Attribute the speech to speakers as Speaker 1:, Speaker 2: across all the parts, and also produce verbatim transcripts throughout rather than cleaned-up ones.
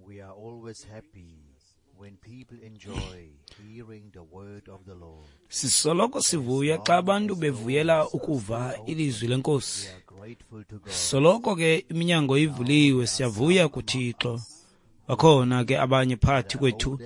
Speaker 1: We are always happy when people enjoy hearing the word of the Lord.
Speaker 2: Sisoloko sivuya xa abantu bevuyela ukuva ilizwi lenkosi.
Speaker 1: We are grateful to God.
Speaker 2: Soloko ke iminyango ivuliwe, siyavuya kuThixo. Bakhona ke abanye phakathi kwethu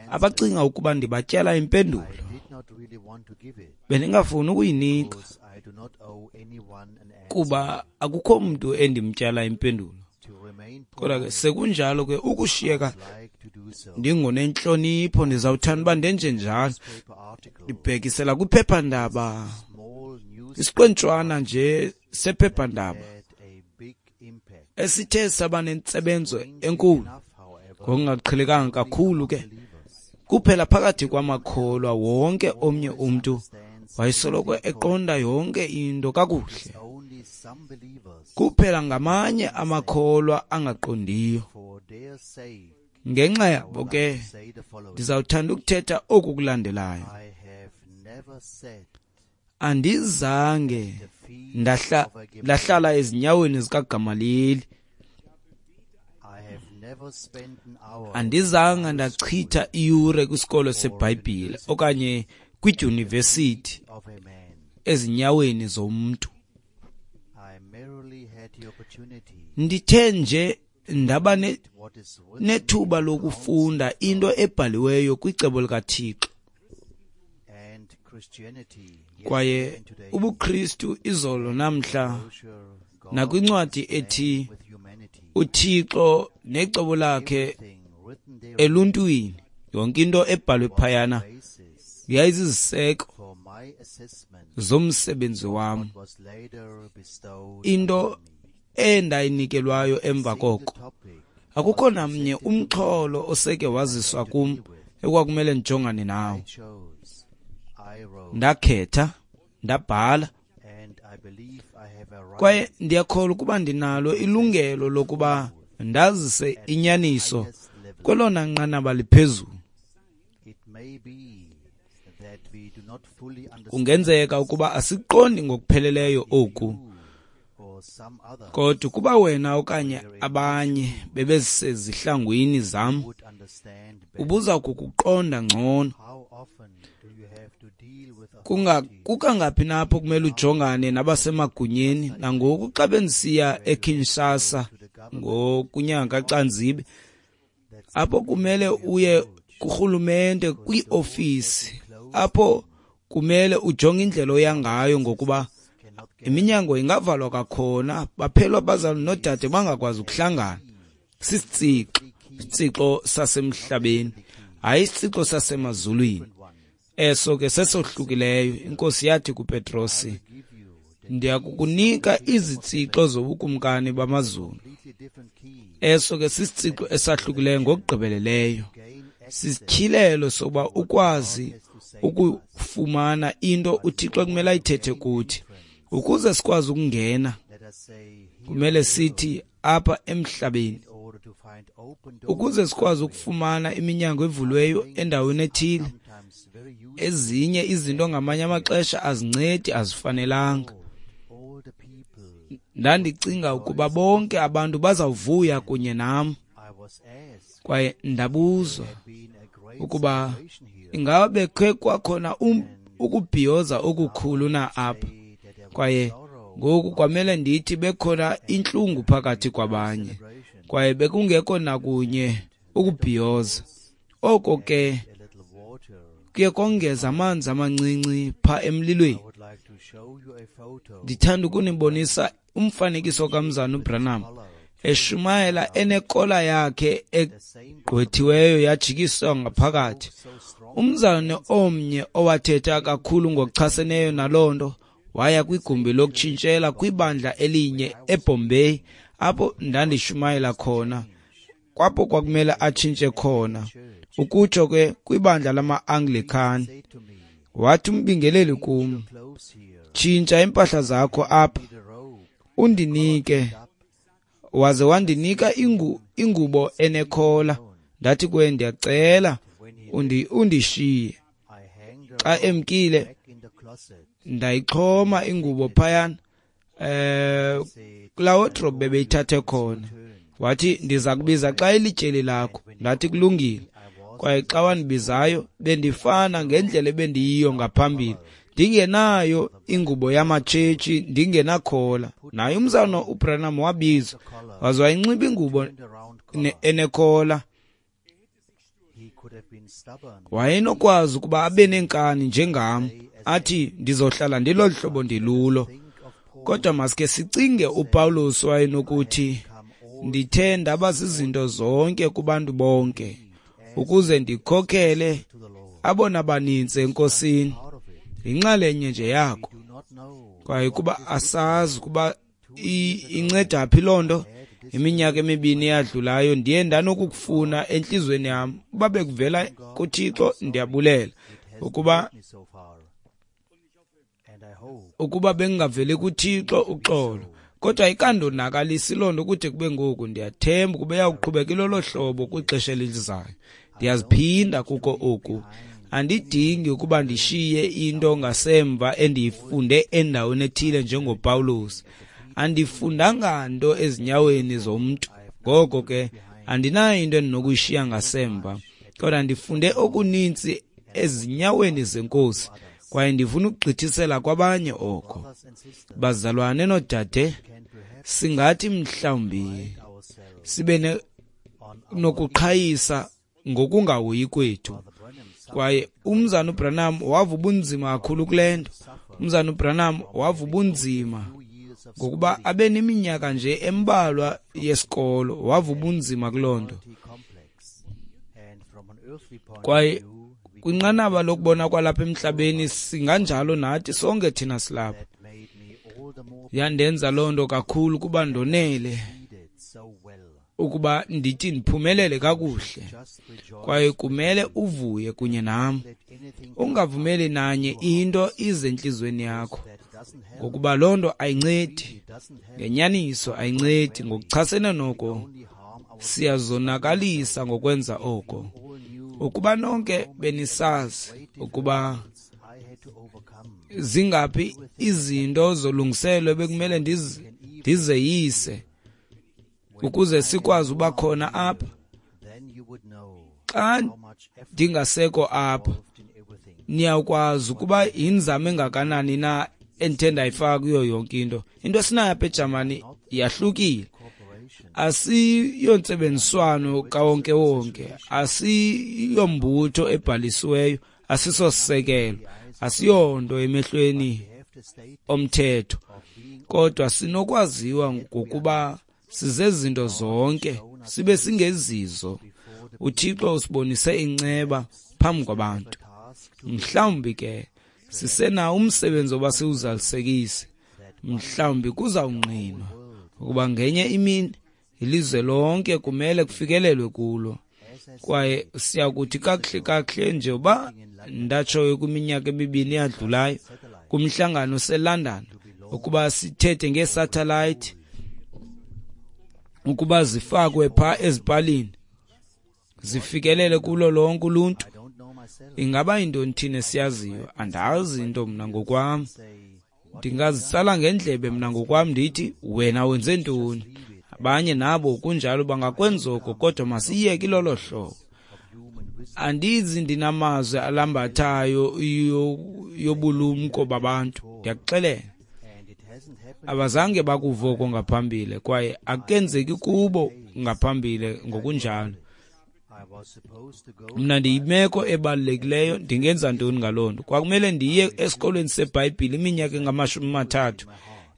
Speaker 2: abacinga ukuba ndibatyala impendulo.
Speaker 1: I did not really want to give it
Speaker 2: Bendingafuni ukuyinika
Speaker 1: because I do not owe anyone an answer.
Speaker 2: kuba akukho mntu endimtyala impendulo.
Speaker 1: To remain
Speaker 2: Kodwa ke sekunjalo ke ukushiyeka
Speaker 1: like to do so.
Speaker 2: ndingonentlonipho, ndizawuthanda uba ndenje njalo.
Speaker 1: Newspaper article,
Speaker 2: Ndibhekisela kwiphephandaba,
Speaker 1: small news
Speaker 2: isiqwentshwana nje sephephandaba
Speaker 1: had a big impact.
Speaker 2: esithe saba nentsebenzo enkulu
Speaker 1: Enough, however,
Speaker 2: ngokungaqhelekanga kakhulu ke
Speaker 1: believers
Speaker 2: kuphela phakathi kwamakholwa. Wonke omnye umntu wayesoloko eqonda yonke into kakuhle.
Speaker 1: only some believers
Speaker 2: Kuphela ngamanye amakholwa angaqondiyo.
Speaker 1: for their sake
Speaker 2: Ngenxa yabo ke
Speaker 1: say the following.
Speaker 2: ndizawuthanda ukuthetha oku kulandelayo.
Speaker 1: I have never sat
Speaker 2: Andizange
Speaker 1: the feet
Speaker 2: ndahla
Speaker 1: of a Gamaliel.
Speaker 2: ndahlala ezinyaweni zikaGamaliyeli.
Speaker 1: I have never spent an hour
Speaker 2: Andizange ndachitha iyure kwisikolo seBhayibhile okanye kwidyunivesithi
Speaker 1: of a man.
Speaker 2: ezinyaweni zomntu.
Speaker 1: I merely had the opportunity
Speaker 2: Ndithe nje ndaba ne-
Speaker 1: what is written
Speaker 2: nethuba lokufunda into ebhaliweyo kwicebo likaThixo
Speaker 1: and Christianity
Speaker 2: kwaye
Speaker 1: yesterday and today
Speaker 2: ubuKristu izolo namhla
Speaker 1: brochure God
Speaker 2: nakwincwadi ethi
Speaker 1: with humanity
Speaker 2: uThixo necebo lakhe
Speaker 1: everything written there
Speaker 2: eluntwini. Yonke into ebhalwe phayana
Speaker 1: basis
Speaker 2: yayiziziseko
Speaker 1: for my assessment
Speaker 2: zomsebenzi wam,
Speaker 1: what was later bestowed
Speaker 2: into
Speaker 1: upon me.
Speaker 2: endayinikelwayo emva
Speaker 1: Single
Speaker 2: koko.
Speaker 1: topic
Speaker 2: Akukho namnye umxholo oseke waziswa kum ekwakumele ndijongane nawo.
Speaker 1: I chose, I wrote,
Speaker 2: Ndakhetha, ndabhala,
Speaker 1: and I believe I have a right
Speaker 2: kwaye ndiyakholwa ukuba ndinalo ilungelo lokuba ndazise inyaniso
Speaker 1: highest level.
Speaker 2: kwelona nqanaba liphezulu.
Speaker 1: It may be that we do not fully understand
Speaker 2: Kungenzeka ukuba asiqondi ngokupheleleyo oku,
Speaker 1: you or some other
Speaker 2: kodwa ukuba wena okanye abanye bebesezihlangwini zam,
Speaker 1: would understand better.
Speaker 2: ubuza kukuqonda ngcono.
Speaker 1: How often do you have to deal with
Speaker 2: Kunga
Speaker 1: authority
Speaker 2: kukangaphi napho kumele ujongane nabasemagunyeni? Nangoku xa bendisiya eKinshasa ngokunyanga kaCanzibe, apho kumele uye kurhulumente kwiofisi, apho kumele ujonge indlela oya ngayo ngokuba
Speaker 1: cannot get
Speaker 2: iminyango ingavalwa kwakhona, baphelwa abazali noodade bangakwazi ukuhlangana. Sisitsixo, isitsixo sasemhlabeni, hayi isitsixo sasemazulwini.
Speaker 1: one.
Speaker 2: Eso ke sesohlukileyo. Inkosi yathi kuPetrosi,
Speaker 1: Give you the
Speaker 2: ndiyakukunika izitsixo zobukumkani bamazulu.
Speaker 1: completely different key.
Speaker 2: Eso ke sisitsixo esahlukileyo ngokugqibeleleyo.
Speaker 1: Gain access
Speaker 2: Sisityhilelo sokuba ukwazi ukufumana into uThixo ekumele ayithethe kuthi. Ukuze sikwazi ukungena,
Speaker 1: let us say here
Speaker 2: kumele sithi apha emhlabeni.
Speaker 1: in order to find open doors
Speaker 2: Ukuze sikwazi ukufumana iminyango evuliweyo endaweni ethile,
Speaker 1: sometimes very useful
Speaker 2: ezinye izinto ngamanye amaxesha azincedi, azifanelanga.
Speaker 1: all the people
Speaker 2: Ndandicinga ukuba bonke abantu bazawuvuya kunye nam,
Speaker 1: I was asked
Speaker 2: kwaye ndabuzwa
Speaker 1: had been a great
Speaker 2: ukuba
Speaker 1: celebration here
Speaker 2: ingaba bekhe kwakhona um, ukubhiyoza okukhulu na apha.
Speaker 1: say that there was
Speaker 2: Kwaye
Speaker 1: sorrow
Speaker 2: ngoku kwamele ndithi bekhona intlungu phakathi kwabanye,
Speaker 1: celebration
Speaker 2: kwaye bekungekho nakunye ukubhiyoza. Oko ke
Speaker 1: a little water
Speaker 2: kuye kongeza amanzi amancinci pha emlilweni.
Speaker 1: I would like to show you a photo
Speaker 2: Ndithanda ukunibonisa umfanekiso kaMzana uBranham eshumayela enekola yakhe
Speaker 1: the same
Speaker 2: egqwethiweyo yajikiswa ngaphakathi.
Speaker 1: so strong
Speaker 2: Umzalwane omnye owathetha kakhulu ngokuchaseneyo naloo nto waya kwigumbi lokutshintshela kwibandla elinye eBombay apho ndandishumayela khona, kwapho kwakumele atshintshe khona, ukutsho ke kwibandla lama-Anglican.
Speaker 1: say to me
Speaker 2: Wathi umbingeleli kum,
Speaker 1: close here
Speaker 2: tshintsha iimpahla zakho apha
Speaker 1: the robe
Speaker 2: undinike.
Speaker 1: up
Speaker 2: Waze wandinika ingu, ingubo enekhola. Ndathi kuye, ndiyacela undi, undishiye.
Speaker 1: I hang the
Speaker 2: Xa emkile
Speaker 1: back in the closet
Speaker 2: ndayixhoma ingubo phayana eh
Speaker 1: said
Speaker 2: kulaa wardrobe bebeyithathe khona. Wathi, ndiza kubiza xa ilityeli lakho. Ndathi, kulungile. Kwaye xa wandibizayo, bendifana ngendlela ebendiyiyo ngaphambili, ndingenayo ingubo yamatshetshi, ndingenakhola. Naye umzalwana uBranham wabizwa, waze wayinxiba ingubo enekhola. Wayenokwazi ukuba abe nenkani njengam, athi ndizohlala ndilolu hlobo ndilulo. Kodwa maske sicinge uPawulos wayenokuthi, ndithe ndaba zizinto zonke kubantu bonke, ukuze ndikhokhele abona baninzi eNkosini. Yinxalenye nje yakho. Kwaye kuba asazi ukuba inceda phi loo nto, iminyaka emibini eyadlulayo ndiye ndanokukufuna entliziyweni yam. Uba bekuvela kuThixo, ndiyabulela. Ukuba ukuba bengingaveli kuThixo, uxolo. Kodwa ikandonakalisi loo nto kude kube ngoku. Ndiyathemba ukuba iyawuqhubeka ilolo hlobo kwixesha elizayo. Ndiyaziphinda kuko oku. Andidingi ukuba ndishiye into ngasemva endiyifunde endaweni ethile njengoPawulos. Andifundanga nto ezinyaweni zomntu, ngoko ke andinayo into endinokuyishiya ngasemva. Kodwa ndifunde okuninzi ezinyaweni zeNkosi, kwaye ndifuna ukugqithisela kwabanye oko. Bazalwane noodade, singathi mhlawumbi sibe nokuqhayisa ngokungahoyi kwethu. Kwaye umzana uBranham wava ubunzima kakhulu kule nto. Umzana uBranham wava ubunzima ngokuba abe neminyaka nje embalwa yesikolo, wava ubunzima kuloo nto. Kwaye kwinqanaba lokubona kwalapha emhlabeni singanjalo nathi sonke thina silapha. Yandenza loo nto kakhulu kuba ndonele ukuba ndithi ndiphumelele kakuhle. Kwaye kumele uvuye kunye nam. Ungavumeli nanye into ize entliziyweni yakho, ngokuba loo nto ayincedi. Ngenyaniso ayincedi. Ngokuchasene noko siyazonakalisa ngokwenza oko. Ukuba nonke benisazi ukuba zingaphi izinto zolungiselo ebekumele ndizeyise ukuze sikwazi uba khona apha. Xa ndingasekho apha, niyakwazi ukuba yinzame engakanani na endithe ndayifaka kuyo yonke into. Into esinayo apha eJamani yahlukile. Asiyontsebenziswano kawonkewonke, asiyombutho ebhalisiweyo, asisosisekelo, asiyonto emehlweni omthetho, kodwa sinokwaziwa ngokuba sizezinto zonke sibe singezizo. UThixo usibonise inceba phambi kwabantu. Mhlawumbi ke sisenawo umsebenzi oba siwuzalisekise. Mhlawumbi kuzawungqinwa ukuba ngenye imini ilizwe lonke kumele kufikelelwe kulo. Kwaye siyakuthi kakuhle kakuhle nje uba ndatshoyo kwiminyaka emibini eyadlulayo kumhlangano oseLondon ukuba sithethe ngeesatellite ukuba zifakwe pha ezipalini zifikelele kulo lonke uluntu. Ingaba yintoni thina esiyaziyo? Andazi into mna ngokwam. Ndingazitsala ngendlebe mna ngokwam ndithi wena wenze ntoni. Abanye nabo kunjalo bangakwenza oko, kodwa masiyeke ilolo hlobo. Andizi ndinamazwi alambathayo yobulumko babantu. Ndiyakuxelela, abazange bakuva oko ngaphambili, kwaye akenzeki kubo ngaphambili ngokunjalo. Mna ndiyimeko ebalulekileyo, ndingenza ntoni ngaloo nto? Kwakumele ndiye esikolweni seBhayibhile iminyaka engamashumi amathathu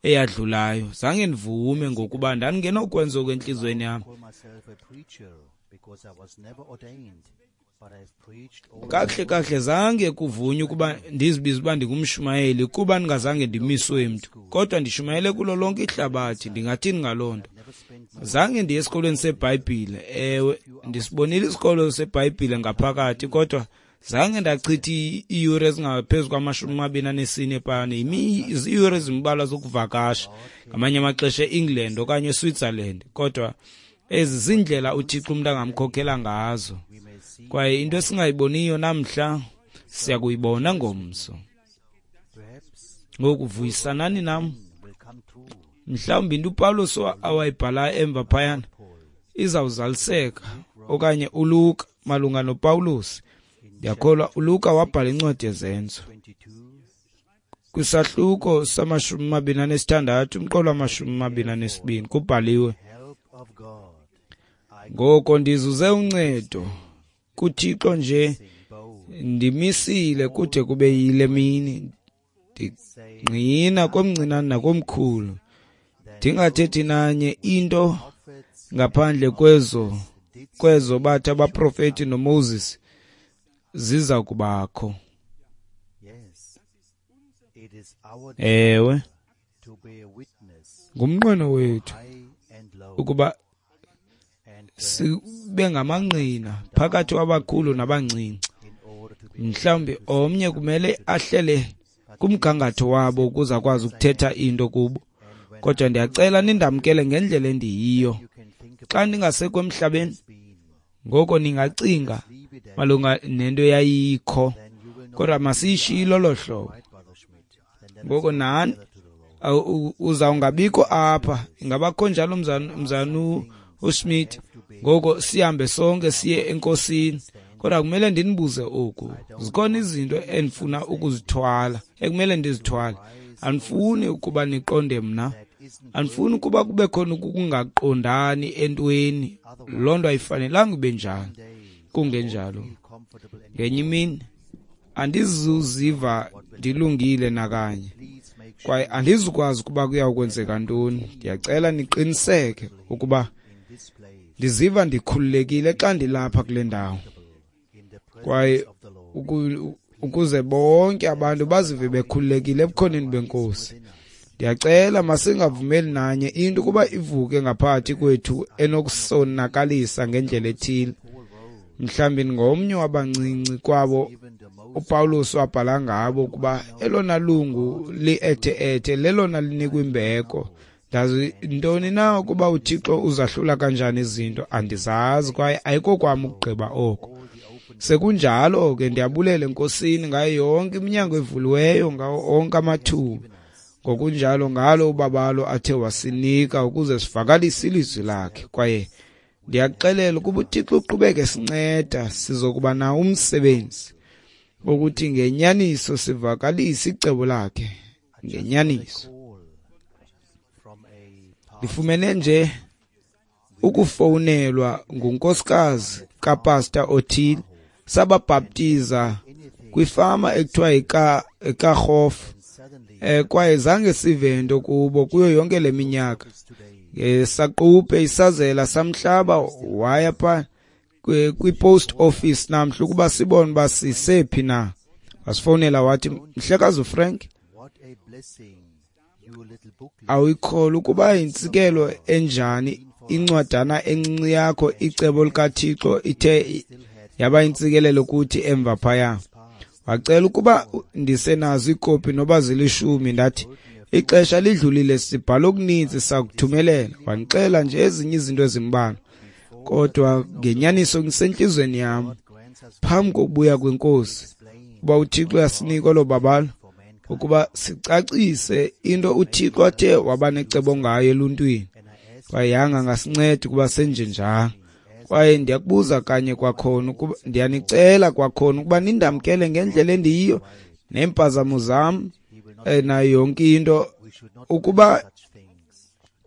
Speaker 2: eyadlulayo. Zange ndivume ngokuba ndandingenokwenza oku entliziyweni yam. Kakuhle kakuhle zange kuvunywe ukuba ndizibize uba ndingumshumayeli kuba ndingazange ndimiswe mntu, kodwa ndishumayele kulo lonke ihlabathi. Ndingathini ngaloo nto? Zange ndiye esikolweni seBhayibhile. Ewe, ndisibonile isikolo seBhayibhile ngaphakathi, kodwa zange ndachitha iiyure ezingaphezu kwamashumi amabini anesine phana. Iiyure ezimbalwa zokuvakasha ngamanye amaxesha e-England okanye eSwitzerland, kodwa ezi ziindlela uThixo umntu angamkhokhela ngazo. Kwaye into esingayiboniyo namhla siyakuyibona ngomso. Ngoku vuyisanani nam. Mhlawumbi into uPawulos awayibhalayo emva phayana izawuzaliseka, okanye uLuka malunga noPawulos. Ndiyakholwa uLuka wabhala incwadi yeZenzo kwisahluko samashumi amabini anesithandathu umqolo wamashumi amabini anesibini kubhaliwe: ngoko ndizuze uncedo kuThixo nje ndimisile kude kube yile mini, ndingqina komncinane nakomkhulu, ndingathethi nanye into ngaphandle kwezo kwezo bathi abaprofeti noMoses ziza kubakho. Ewe, ngumnqweno wethu ukuba sibe ngamangqina phakathi kwabakhulu nabancinci. Mhlawumbi omnye kumele ahlele kumgangatho wabo ukuze akwazi ukuthetha into kubo, kodwa ndiyacela nindamkele ngendlela endiyiyo. Xa ndingasekho emhlabeni, ngoko ningacinga malunga nento eyayikho, kodwa masiyishiye lolo hlobo. Ngoko nani uzawungabikho apha, ingabakho njalo mzanu uSmith. Ngoko sihambe sonke siye enkosini, kodwa kumele ndinibuze oku: zikhona izinto endifuna ukuzithwala, ekumele ndizithwale. Andifuni ukuba niqonde mna, andifuni ukuba kube khona ukungaqondani entweni. Loo nto ayifanelanga ibe njalo. Kungenjalo, ngenye imini andizuziva ndilungile nakanye, kwaye andizukwazi ukuba kuya kwenzeka ntoni. Ndiyacela niqiniseke ukuba ndiziva ndikhululekile xa ndilapha kule ndawo, kwaye ukuze bonke abantu bazive bekhululekile ebukhoneni beNkosi. Ndiyacela masingavumeli nanye into ukuba ivuke ngaphakathi kwethu enokusonakalisa ngendlela ethile. Mhlawumbi ngomnye wabancinci kwabo uPawulos wabhala ngabo ukuba elona lungu li-ethe-ethe lelona linikwa imbeko. Ndazi ntoni na ukuba uThixo uzahlula kanjani izinto, andizazi, kwaye ayikokwam ukugqiba oko. Sekunjalo ke ndiyabulela eNkosini ngayo yonke iminyango evuliweyo, ngawo onke amathuba, ngokunjalo ngalo ubabalo athe wasinika ukuze sivakalise ilizwi lakhe. Kwaye ndiyakuxelela ukuba uThixo uqhubeke sinceda, sizokuba nawo umsebenzi wokuthi ngenyaniso sivakalise icebo lakhe ngenyaniso. Ndifumene nje ukufowunelwa ngunkosikazi kapasta othile, sababhaptiza kwifama ekuthiwa yiKarhof, eh kwaye zange sive nto kubo kuyo yonke le minyaka. Ngesaquphe isazela samhlaba waya pha kwi-post office namhla ukuba sibone uba sisephi na. Wasifowunela wathi, mhlekazi uFrank, awuyikholwa ukuba yintsikelo enjani incwadana encinci yakho icebo likaThixo ithe yaba intsikelelo kuthi emva phaya. Wacela ukuba ndisenazo iikopi noba zilishumi. Ndathi ixesha lidlulile, sibhala okuninzi, sakuthumelela. Wandixela nje ezinye izinto ezimbalwa, kodwa ngenyaniso ngisentliziyweni yam phambi kokubuya kweNkosi uba uThixo uyasinika olo babalo ukuba sicacise into uThixo athe waba necebo ngayo eluntwini, kwaye yanga ngasinceda ukuba senje njalo. Kwaye ndiyakubuza kanye kwakhona ukuba ndiyanicela kwakhona ukuba nindamkele ngendlela endiyiyo neempazamo zam nayo yonke into. Ukuba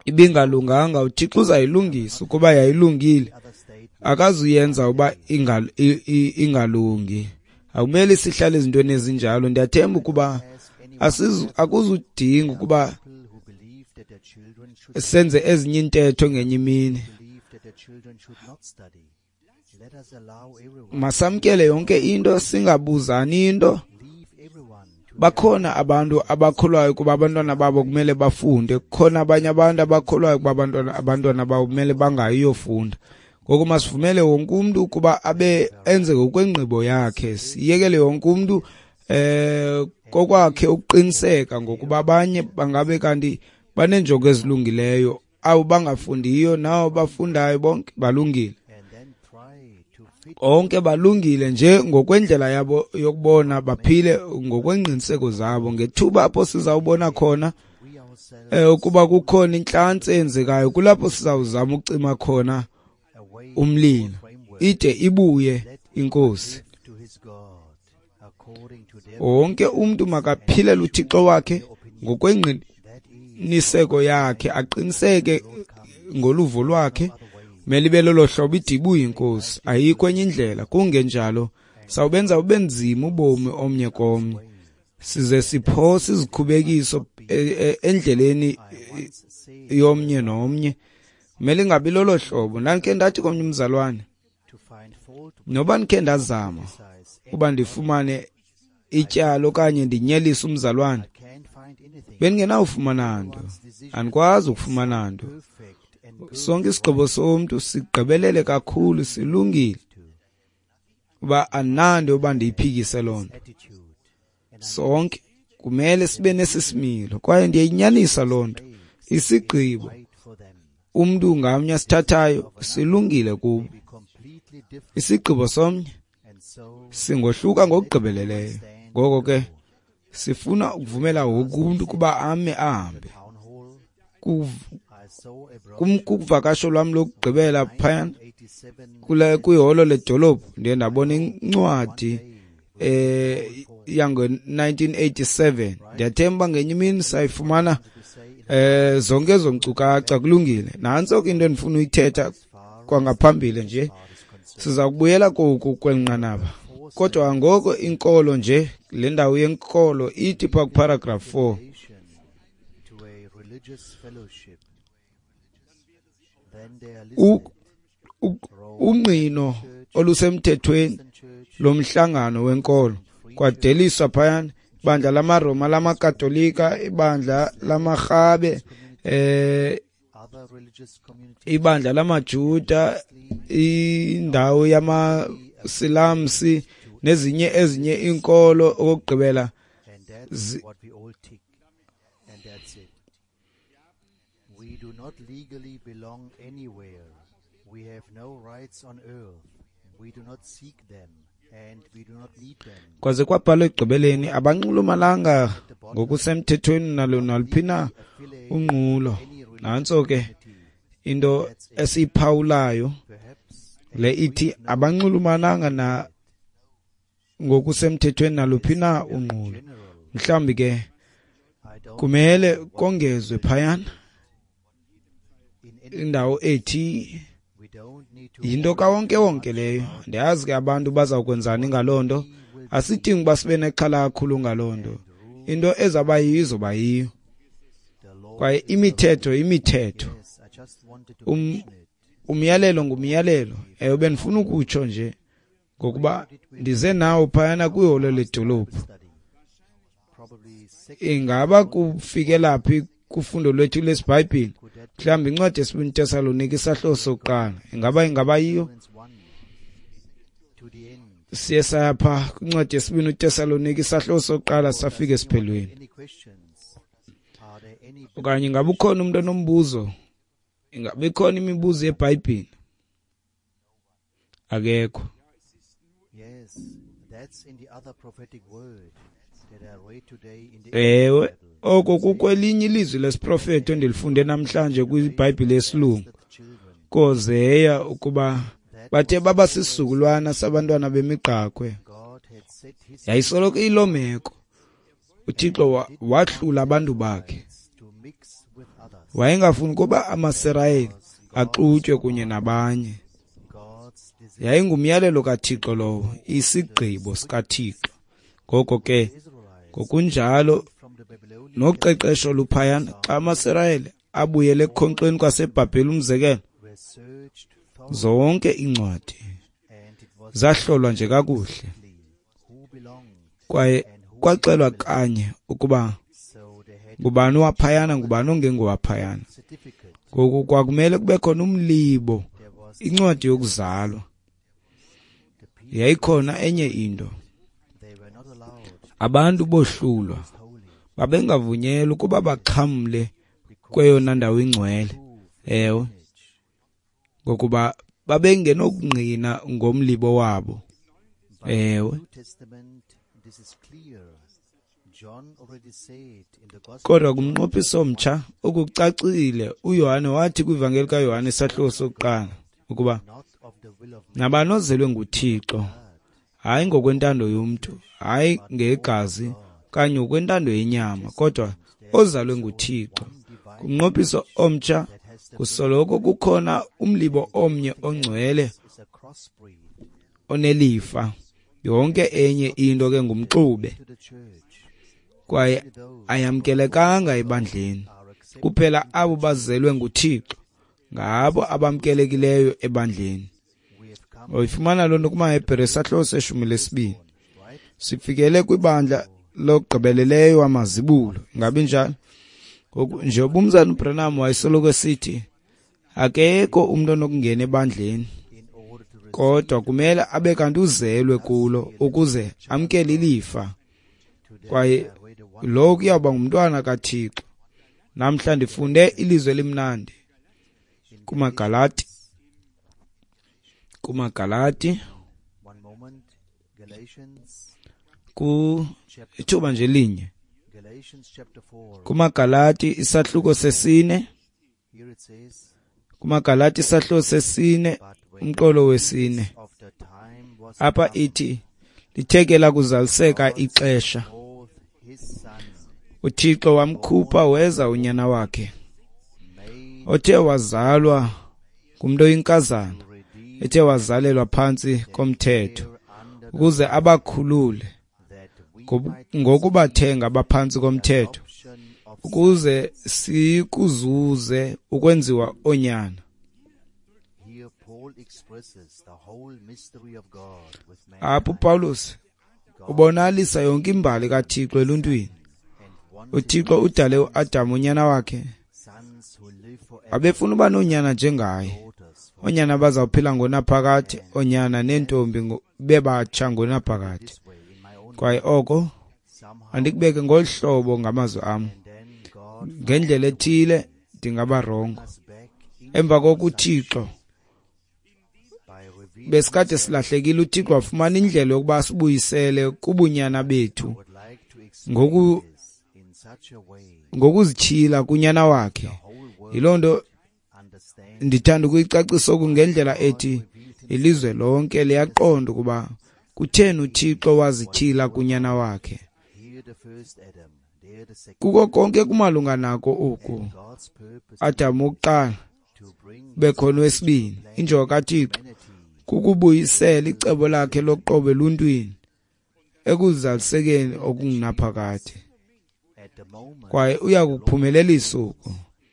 Speaker 2: ibingalunganga, uThixo uzayilungisa. Ukuba yayilungile, akazuyenza uba ingalungi. Akumele sihlale ezintweni ezinjalo. Ndiyathemba ukuba akuzudinga ukuba senze ezinye intetho ngenye imini. Masamkele yonke into, singabuzani into. Bakhona abantu abakholwayo kuba abantwana babo kumele bafunde, kukhona abanye abantu abakholwayo kuba abantwana abantwana babo kumele bangayiyofunda. Ngoku masivumele wonke umntu ukuba abe enze ngokwengqibo yakhe, siyekele wonke umntu eh kokwakhe ukuqiniseka ngokuba abanye bangabe kanti baneenjongo ezilungileyo, abo bangafundiyo nabo bafundayo bonke balungile. Onke balungile nje ngokwendlela yabo yokubona, baphile ngokwengqiniseko zabo. Ngethuba apho sizawubona khona eh ukuba kukhona intlantsi eyenzekayo, kulapho sizawuzama ukucima khona umlilo ide ibuye inkosi. Wonke umntu makaphilele uThixo wakhe ngokwengqiniseko yakhe, aqiniseke ngoluvo lwakhe. Mele ibe lolo hlobo ide ibuye inkosi, ayikho enye indlela. Kungenjalo sawubenza ube nzima ubomi omnye komnye, size siphose izikhubekiso endleleni yomnye nomnye. Mele ingabi lolo hlobo. Ndandikhe ndathi komnye umzalwane, noba ndikhe ndazama uba ndifumane ityala okanye ndinyelise umzalwane, bendingenawufumana nto, andikwazi ukufumana nto. Sonke isigqibo somntu sigqibelele kakhulu, silungile, uba andinanto yoba ndiyiphikise loo nto. Sonke kumele sibe nesi similo, kwaye ndiyayinyanisa loo nto. Isigqibo umntu ngamnye asithathayo silungile kubo. Isigqibo somnye singohluka ngokugqibeleleyo. Ngoko ke sifuna ukuvumela wonke umntu ukuba ame ahambe. Kuvakasho lwam lokugqibela phayana kule kwiholo ledolophu, ndiye ndabona incwadi eh yango nineteen eighty-seven. Ndiyathemba ngenye imini sayifumana eh zonke ezo nkcukacha. Kulungile, nantso ke into endifuna uyithetha kwangaphambili nje. Siza kubuyela koku kweli nqanaba, kodwa ngoko inkolo nje, le ndawo yenkolo ithi phaa kuparagraph four, ungqino olusemthethweni lomhlangano wenkolo kwadeliswa phayana ibandla lamaRoma, lamaKatolika, ibandla lamaRhabe, eh ibandla lamaJuda, indawo yamaSilamsi nezinye ezinye inkolo. Okokugqibela
Speaker 1: We do not legally belong anywhere. We have no rights on earth. We do not seek them and we do not need them.
Speaker 2: Kwaze kwabhalwa ekugqibeleni, abanxulumananga ngokusemthethweni nalo naluphi na unqulo. Nantso ke into esiyiphawulayo le ithi abanxulumananga na ngokusemthethweni naluphi na unqulo. Mhlawumbi ke kumele kongezwe phayana indawo ethi yinto kawonke wonke leyo. Ndiyazi ke abantu bazawukwenzani ngaloo nto. Asidingi uba sibe nexhala kakhulu ngaloo nto. Into ezawuba yiyo izoba yiyo, kwaye imithetho imithetho, um, umyalelo ngumyalelo. Ewe, bendifuna ukutsho nje ngokuba ndize nawo phayana kwiholo ledolophu. Ingaba kufikela phi kufundo lwethu lwesiBhayibhile? Mhlawumbi incwadi yesibini Tesalonike isahluko sokuqala, ingaba ingaba yiyo? Siye saya pha kwincwadi yesibini uTesalonike isahluko sokuqala, safika esiphelweni. Okanye ingaba ukhona umntu onombuzo? Ingaba ikhona imibuzo yeBhayibhile? Akekho. Ewe, oko kukwelinye ilizwi lesiprofeto endilifunde namhlanje kwiBhayibhile yesilungu kozeya, ukuba bathe baba sisizukulwana sabantwana bemigqakhwe. Yayisoloko iyiloo meko. uThixo wahlula abantu bakhe. Wayengafuni ukuba amaSirayeli axutywe kunye nabanye. Yayingumyalelo kaThixo lowo, isigqibo sikaThixo. Ngoko ke ngokunjalo noqeqesho luphayana, xa amaSirayeli abuyele ekukhonkxeni kwaseBhabheli, umzekelo, zonke iincwadi zahlolwa nje kakuhle, kwaye kwaxelwa kanye ukuba ngubani owaphayana, ngubani ongengowaphayana. Ngoku kwakumele kube khona umlibo, incwadi yokuzalwa. Yayikhona enye into, abantu bohlulwa, babengavunyelwa ukuba baxhamle kweyona ndawo ingcwele. Ewe, ngokuba babengenokungqina ngomlibo wabo. Ewe. Kodwa kumnqophiso omtsha okucacile, uYohane wathi kwivangeli kaYohane isahluko sokuqala, Ukuba
Speaker 1: not of the will of man,
Speaker 2: nabani ozelwe nguThixo, hayi ngokwentando yomntu, hayi ngegazi okanye ngokwentando yenyama, kodwa ozalwe nguThixo. Kumnqophiso omtsha kusoloko kukhona umlibo omnye ongcwele
Speaker 1: is a crossbreed
Speaker 2: onelifa. Yonke enye into ke ngumxube
Speaker 1: to the church.
Speaker 2: kwaye ayamkelekanga ebandleni.
Speaker 1: Are accepted
Speaker 2: Kuphela abo bazelwe nguThixo ngabo abamkelekileyo ebandleni.
Speaker 1: We have come
Speaker 2: Uyifumana loo nto kumaHebhere isahluko seshumi lesibini.
Speaker 1: right
Speaker 2: Sifikele kwibandla lokugqibeleleyo amazibulo. Ingabi njalo? Ngoku njengoba umzana uBranham wayesoloko esithi akekho umntu onokungena ebandleni
Speaker 1: in order to receive
Speaker 2: kodwa kumele abe kanti uzelwe kulo ukuze amkele ilifa.
Speaker 1: today.
Speaker 2: Kwaye
Speaker 1: I read a one
Speaker 2: lo kuyawuba ngumntwana kaThixo. Namhla ndifunde ilizwi elimnandi kumaGalati, kumaGalati
Speaker 1: one moment. Galatians
Speaker 2: ku
Speaker 1: chapter
Speaker 2: ithuba nje linye.
Speaker 1: Galatians chapter four.
Speaker 2: KumaGalati isahluko sesine,
Speaker 1: Here it says,
Speaker 2: kumaGalati isahluko sesine
Speaker 1: but when
Speaker 2: umqolo wesine.
Speaker 1: of the time was
Speaker 2: Apha
Speaker 1: come,
Speaker 2: ithi lithe lakuzaliseka ixesha,
Speaker 1: both his son
Speaker 2: uThixo wamkhupha weza unyana wakhe
Speaker 1: made
Speaker 2: othe wazalwa ngumntu oyinkazana,
Speaker 1: to redeem
Speaker 2: ethe wazalelwa phantsi komthetho
Speaker 1: under the
Speaker 2: ukuze abakhulule
Speaker 1: that we
Speaker 2: ngobu-
Speaker 1: might
Speaker 2: ngokubathenga abaphantsi komthetho
Speaker 1: adoption of
Speaker 2: ukuze sikuzuze ukwenziwa oonyana.
Speaker 1: Here Paul expresses the whole mystery of God with
Speaker 2: Apha
Speaker 1: mankind.
Speaker 2: uPawulos ubonakalisa yonke imbali kaThixo eluntwini.
Speaker 1: And wanted
Speaker 2: uThixo udale uAdam unyana wakhe,
Speaker 1: sons who live forever,
Speaker 2: abefuna uba noonyana njengaye,
Speaker 1: daughters for
Speaker 2: oonyana abazawuphila ngonaphakade, oonyana neentombi ngo- bebatsha ngonaphakade.
Speaker 1: this way in my own
Speaker 2: Kwaye oko
Speaker 1: somehow
Speaker 2: andikubeke ngolu hlobo ngamazwi am,
Speaker 1: and then God
Speaker 2: ngendlela ethile ndingaba rongo.
Speaker 1: us back in
Speaker 2: Emva koko uThixo
Speaker 1: by revealing
Speaker 2: besikade silahlekile, uThixo wafumana indlela yokuba asibuyisele kubunyana bethu
Speaker 1: would like to explain
Speaker 2: ngoku
Speaker 1: this in such a way
Speaker 2: ngokuzityhila kunyana wakhe.
Speaker 1: the whole world
Speaker 2: Yiloo nto
Speaker 1: understands
Speaker 2: ndithanda ukuyicacisa oku ngendlela ethi ilizwe lonke liyaqonda ukuba kutheni uThixo wazityhila kunyana wakhe.
Speaker 1: here the first Adam there the second
Speaker 2: Kuko konke kumalunga nako oku.
Speaker 1: God's purpose
Speaker 2: Adam wokuqala
Speaker 1: to bring
Speaker 2: bekhona wesibini. Injongo kaThixo
Speaker 1: humanity
Speaker 2: kukubuyisela icebo lakhe loqobo eluntwini ekuzalisekeni okungunaphakade.
Speaker 1: at the moment
Speaker 2: Kwaye uya kukuphumelelisa oku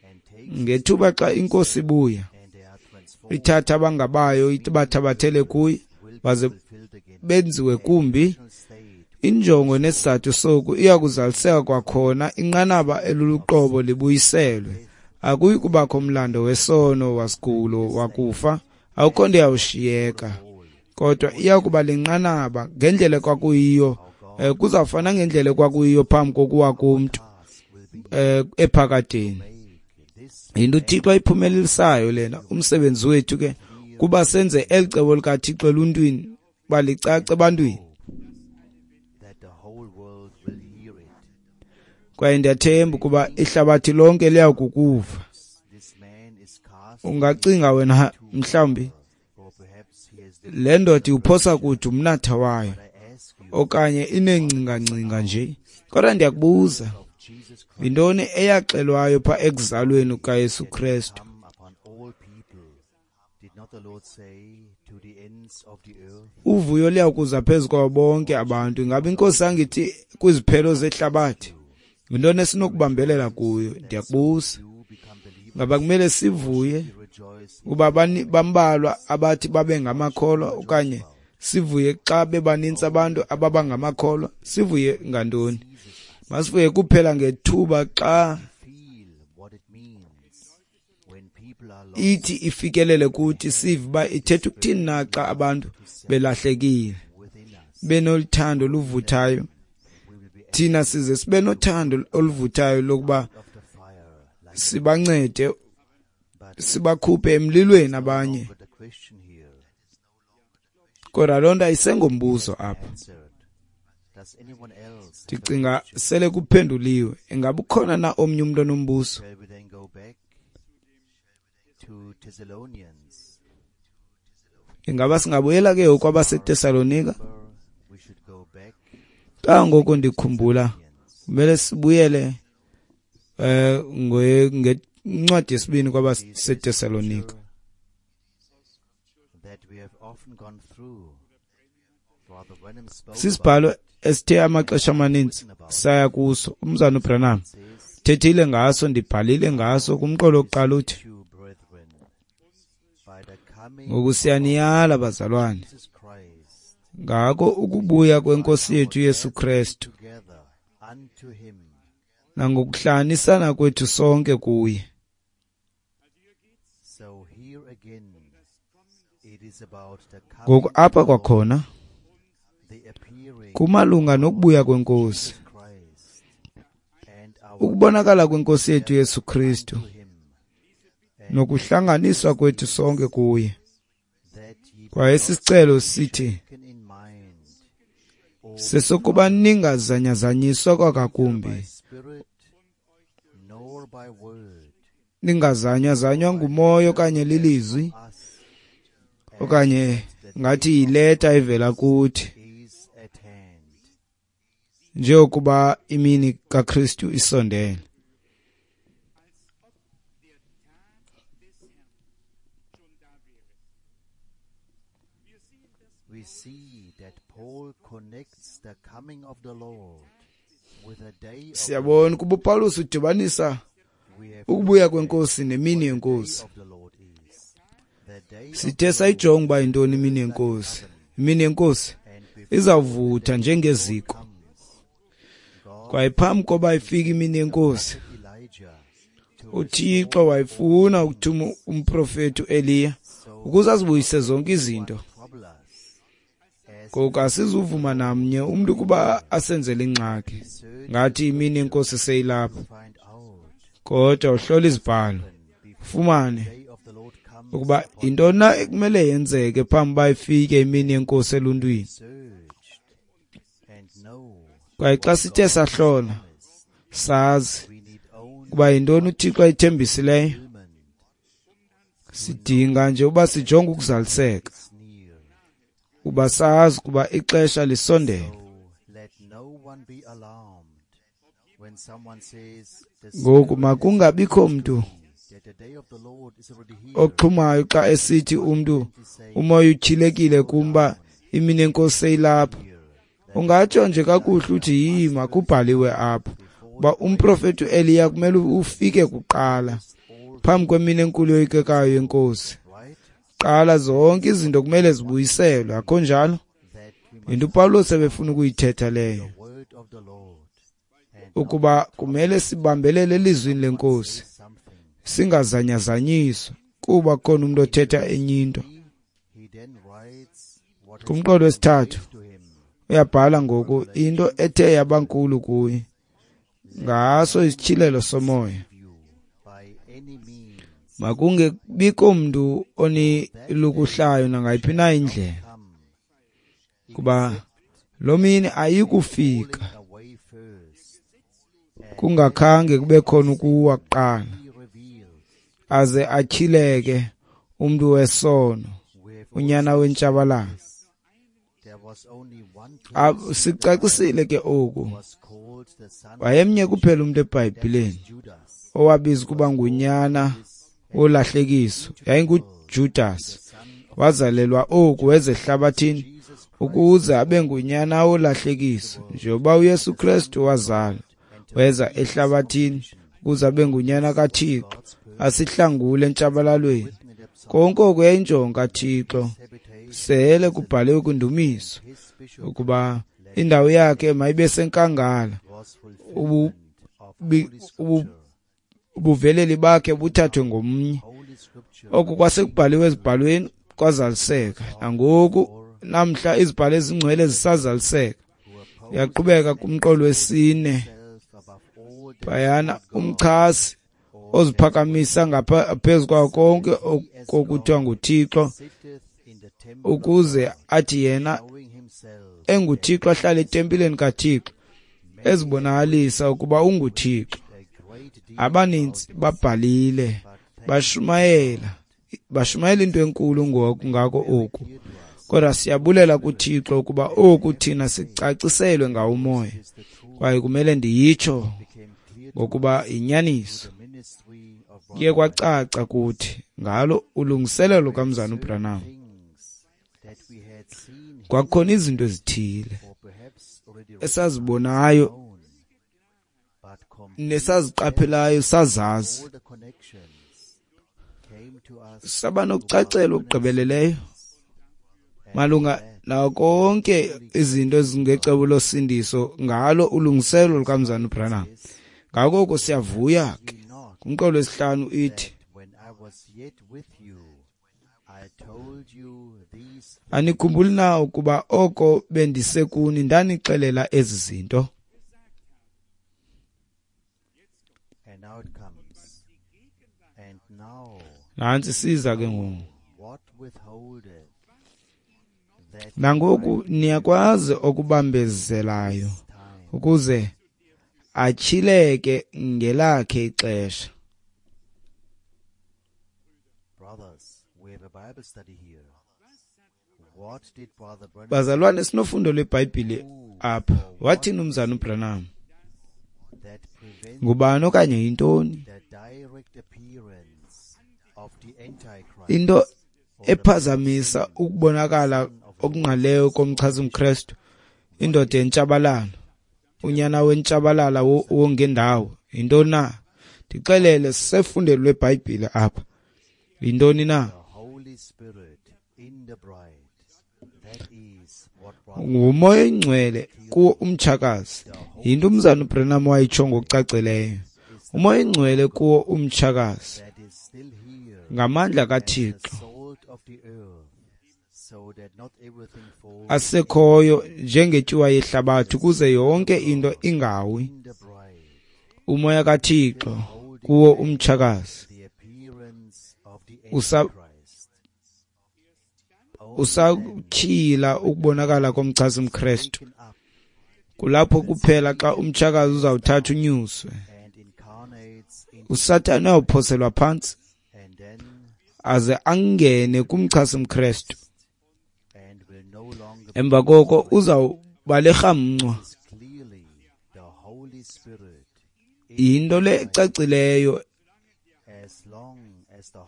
Speaker 1: and takes
Speaker 2: ngethuba xa inkosi ibuya
Speaker 1: and they are transformed
Speaker 2: ithatha abangabayo ibathabathele kuye
Speaker 1: will be
Speaker 2: baze
Speaker 1: fulfilled again
Speaker 2: benziwe kumbi.
Speaker 1: state
Speaker 2: Injongo nesizathu soku iya kuzaliseka kwakhona, inqanaba eluluqobo libuyiselwe. Akuyi kubakho mlando wesono wasigulo wakufa, akukho nto iyawushiyeka, kodwa iya kuba linqanaba ngendlela ekwakuyiyo, eh, kuzawufana ngendlela ekwakuyiyo phambi kokuwa komntu
Speaker 1: task will be
Speaker 2: eh, ephakadeni.
Speaker 1: make this
Speaker 2: Yinto uThixo ayiphumelelisayo lena. Umsebenzi wethu ke kuba senze eli cebo likaThixo eluntwini uba licace ebantwini.
Speaker 1: that the whole world will hear it.
Speaker 2: Kwaye ndiyathemba ukuba ihlabathi lonke liya kukuva.
Speaker 1: This man is cast
Speaker 2: Ungacinga wena mhlawumbi
Speaker 1: or perhaps he has the
Speaker 2: le ndoda iwuphosa kude umnatha wayo
Speaker 1: I ask you
Speaker 2: okanye ineengcingangcinga nje. Kodwa ndiyakubuza,
Speaker 1: of Jesus Christ
Speaker 2: yintoni eyaxelwayo pha ekuzalweni kukaYesu Kristu?
Speaker 1: come upon all people. Did not the Lord say to the ends of the earth?
Speaker 2: Uvuyo liya kuza phezu kwabo bonke abantu. Ingaba inkosi angithi kwiziphelo zehlabathi? Yintoni esinokubambelela kuyo? Ndiyakubuza,
Speaker 1: You become believers,
Speaker 2: ngaba kumele sivuye
Speaker 1: you rejoice
Speaker 2: kuba bani- bambalwa abathi babe ngamakholwa, okanye sivuye xa bebanintsi abantu ababa ngamakholwa? Sivuye ngantoni? Masivuye kuphela ngethuba xa
Speaker 1: feel what it means when people are lost
Speaker 2: ithi ifikelele kuthi, sive uba ithetha ukuthini na xa abantu belahlekile
Speaker 1: within us.
Speaker 2: benoluthando oluvuthayo.
Speaker 1: We will be
Speaker 2: Thina size sibe nothando oluvuthayo lokuba
Speaker 1: of the fire like
Speaker 2: sibancede,
Speaker 1: but
Speaker 2: sibakhuphe emlilweni abanye.
Speaker 1: but the question here
Speaker 2: Kodwa loo nto ayisengombuzo apha.
Speaker 1: answered. Does anyone else have a
Speaker 2: Ndicinga
Speaker 1: question?
Speaker 2: sele kuphenduliwe. Ingaba ukhona na omnye umntu onombuzo?
Speaker 1: Shall we then go back to Thessalonians
Speaker 2: Ingaba singabuyela ke kwabaseTesalonika? Kangoko ndikhumbula kumele sibuyele eh ngencwadi yesibini kwabaseTesalonika. Sisibhalo esithe amaxesha amaninzi saya kuso. Umzana uBranham thethile ngaso, ndibhalile ngaso kumqolo wokuqala uthi, ngoku siyaniyala bazalwane ngako ukubuya kwenkosi yethu Yesu Kristu nangokuhlanganisana kwethu sonke kuye. Ngoku apha kwakhona kumalunga nokubuya kwenkosi, ukubonakala kwenkosi yethu Yesu Kristu nokuhlanganiswa kwethu sonke kuye. Kwaye sisicelo sithi sesokuba ningazanyazanyiswa kwakakumbi, ningazanyazanywa ngumoya okanye lilizwi okanye ngathi yileta evela kuthi, njengokuba imini kaKristu isondele.
Speaker 1: We see that Paul connects the coming of the Lord with the day of
Speaker 2: Siyabona ukuba uPaulus udibanisa ukubuya kwenkosi nemini yenkosi. Sithe sayijonga uba yintoni imini yenkosi. Imini yenkosi izawuvutha njengeziko. Kwaye phambi koba ifike imini yenkosi, uThixo wayefuna ukuthuma umprofeti uEliya ukuze azibuyise zonke izinto. Ngoku asizuvuma namnye umntu ukuba asenzele ingxaki ngathi imini yenkosi seyilapha. Kodwa uhlola izibhalo ufumane ukuba yintoni na ekumele yenzeke phambi uba ifike imini yenkosi eluntwini. Kwaye xa sithe sahlola sazi ukuba yintoni uThixo ayithembisileyo, sidinga nje uba sijonge ukuzaliseka, uba sazi ukuba ixesha lisondele. Ngoku makungabikho mntu oxhumayo xa esithi umntu umoya utyhilekile kumba imini yenkosi seyilapha. Ungatsho nje kakuhle uthi yima kubhaliwe apha uba umprofeti uEliya kumele ufike kuqala phambi kwemini enkulu yoyikekayo yenkosi. Qala zonke izinto kumele zibuyiselwe, akho njalo? Yinto uPawulos ebefuna ukuyithetha leyo, ukuba kumele sibambelele elizwini lenkosi singazanyazanyiswa kuba khona umuntu othetha enye into. Kumqolo wesithathu uyabhala ngoku into ethe yabankulu kuye ngaso isityhilelo somoya. Makungebikho mntu onilukuhlayo nangayiphi na indlela, kuba lo mini ayikufika kungakhange kube khona ukuwa kuqala, aze atyhileke umntu wesono, unyana wentshabalalo. Sicacisile ke oku. Wayemnye kuphela umntu eBhayibhileni owabizwa ukuba ngunyana wolahlekiso, yayinguJudas. Wazalelwa oku weza ehlabathini ukuze abe ngunyana wolahlekiso, njengoba uYesu Kristu wazalwa weza ehlabathini ukuze abe ngunyana kaThixo asihlangule entshabalalweni. Konke oku yayinjongo kaThixo, sele kubhaliwe kwindumiso ukuba indawo yakhe mayibe senkangala, ubuveleli bakhe buthathwe ngomnye. Oku kwasekubhaliwe ezibhalweni kwazaliseka, nangoku namhla izibhalo ezingcwele zisazaliseka. Uyaqhubeka kumqolo wesine phayana, umchasi oziphakamisa ngaphezu kwawo konke okuthiwa nguThixo, ukuze athi yena enguThixo ahlale etempileni kaThixo, ezibonakalisa ukuba unguThixo. Abaninzi babhalile bashumayela Bashumayela into enkulu ngoku ngako oku. Kodwa siyabulela kuThixo ukuba oku thina sicaciselwe ngawo uMoya. Kwaye kumele ndiyitsho ngokuba yinyaniso. Kuye kwacaca kuthi ngalo ulungiselelo lukaMzalwana uBranham. Kwakukhona izinto ezithile esazibonayo nesaziqaphelayo sazazi. Saba nokucacelwa okugqibeleleyo malunga nawo konke izinto ezingecebo losindiso ngalo ulungiselelo lukaMzalwana uBranham. Ngako oko siyavuya ke. Kumqolo wesihlanu ithi, anikhumbuli na ukuba oko bendisekuni ndanixelela ezi zinto? Nantsi siza ke ngoku. Nangoku niyakwazi okubambezelayo ukuze atyhileke ngelakhe ixesha. Bazalwane, sinofundo lweBhayibhile apha. Wathini uMzalwana uBranham? Ngubani okanye yintoni into ephazamisa ukubonakala okungqalileyo komchasi-mKrestu, indoda yentshabalalo, unyana wentshabalala wongendawo? Yintoni na? Ndixelele, sisefundweni lweBhayibhile apha. Yintoni na? Ngumoya oyingcwele kuwo umtshakazi. Yinto uMzalwana uBranham wayitsho ngokucacileyo. Umoya oyingcwele kuwo umtshakazi ngamandla kaThixo asekhoyo njengetyuwa yehlabathi ukuze yonke into ingawi. Umoya kaThixo kuwo umtshakazi usa usatyhila ukubonakala komchasi-mKrestu. Kulapho kuphela xa umtshakazi uzawuthatha unyuswe. uSathane uyawuphoselwa phantsi aze angene kumchasi-mKrestu. Emva koko uzawuba lerhamncwa. Yinto le ecacileyo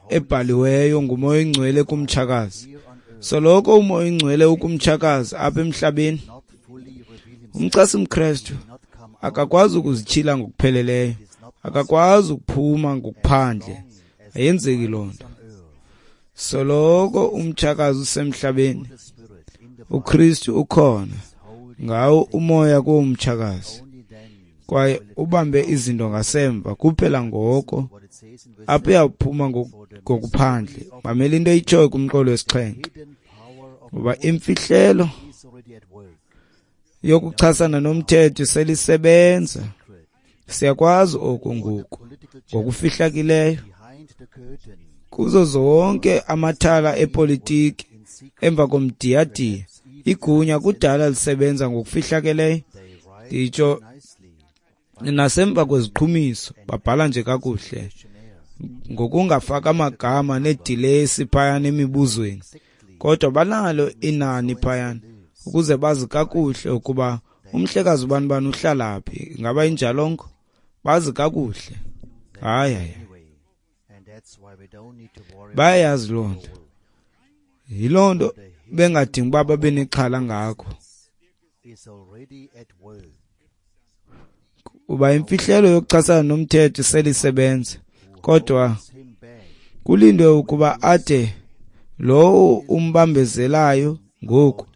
Speaker 2: ebhaliweyo nguMoya oyingcwele kumtshakazi. Soloko uMoya oyingcwele ukumtshakazi apha emhlabeni, umchasi-mKrestu akakwazi ukuzityhila ngokupheleleyo, akakwazi ukuphuma ngokuphandle. Ayenzeki loo nto. Soloko umtshakazi usemhlabeni, uKristu ukhona ngawo umoya kuwo umtshakazi, kwaye ubambe izinto ngasemva kuphela ngoko apho uyawuphuma ngokuphandle. Mamela into eyitshoyo kumqolo wesixhenxe, ngoba imfihlelo yokuchasana nomthetho selisebenza. Siyakwazi oku ngoku ngokufihlakileyo kuzo zonke amathala epolitiki emva komdiyadiya. Igunya kudala lisebenza ngokufihlakeleyo, nditsho nasemva kweziqhumiso. Babhala nje kakuhle ngokungafaki amagama needilesi phayana emibuzweni, kodwa banalo inani phayana ukuze bazi kakuhle ukuba umhlekazi ubani bani uhlala phi. Ingaba injalongo? Bazi kakuhle. Hayi, hayi, bayayazi loo nto. Yiloo nto bengadingi uba babe nexhala ngako, kuba imfihlelo yokuchasana nomthetho selisebenza. Kodwa kulindwe ukuba ade lowo umbambezelayo ngoku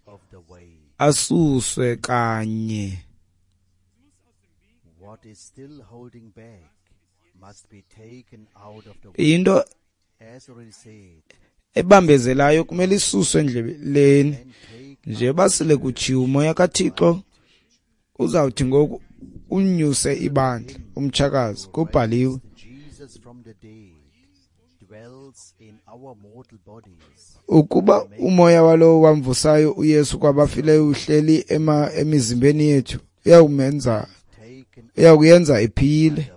Speaker 2: asuswe kanye. Into ebambezelayo kumele isuswe endleleni. Njengoba sele kutshiwo, uMoya kaThixo uzawuthi ngoku unyuse ibandla, umtshakazi. Kubhaliwe, ukuba umoya walowo wamvusayo uYesu kwabafileyo uhleli ema emizimbeni yethu, uyawumenza uyakuyenza iphile.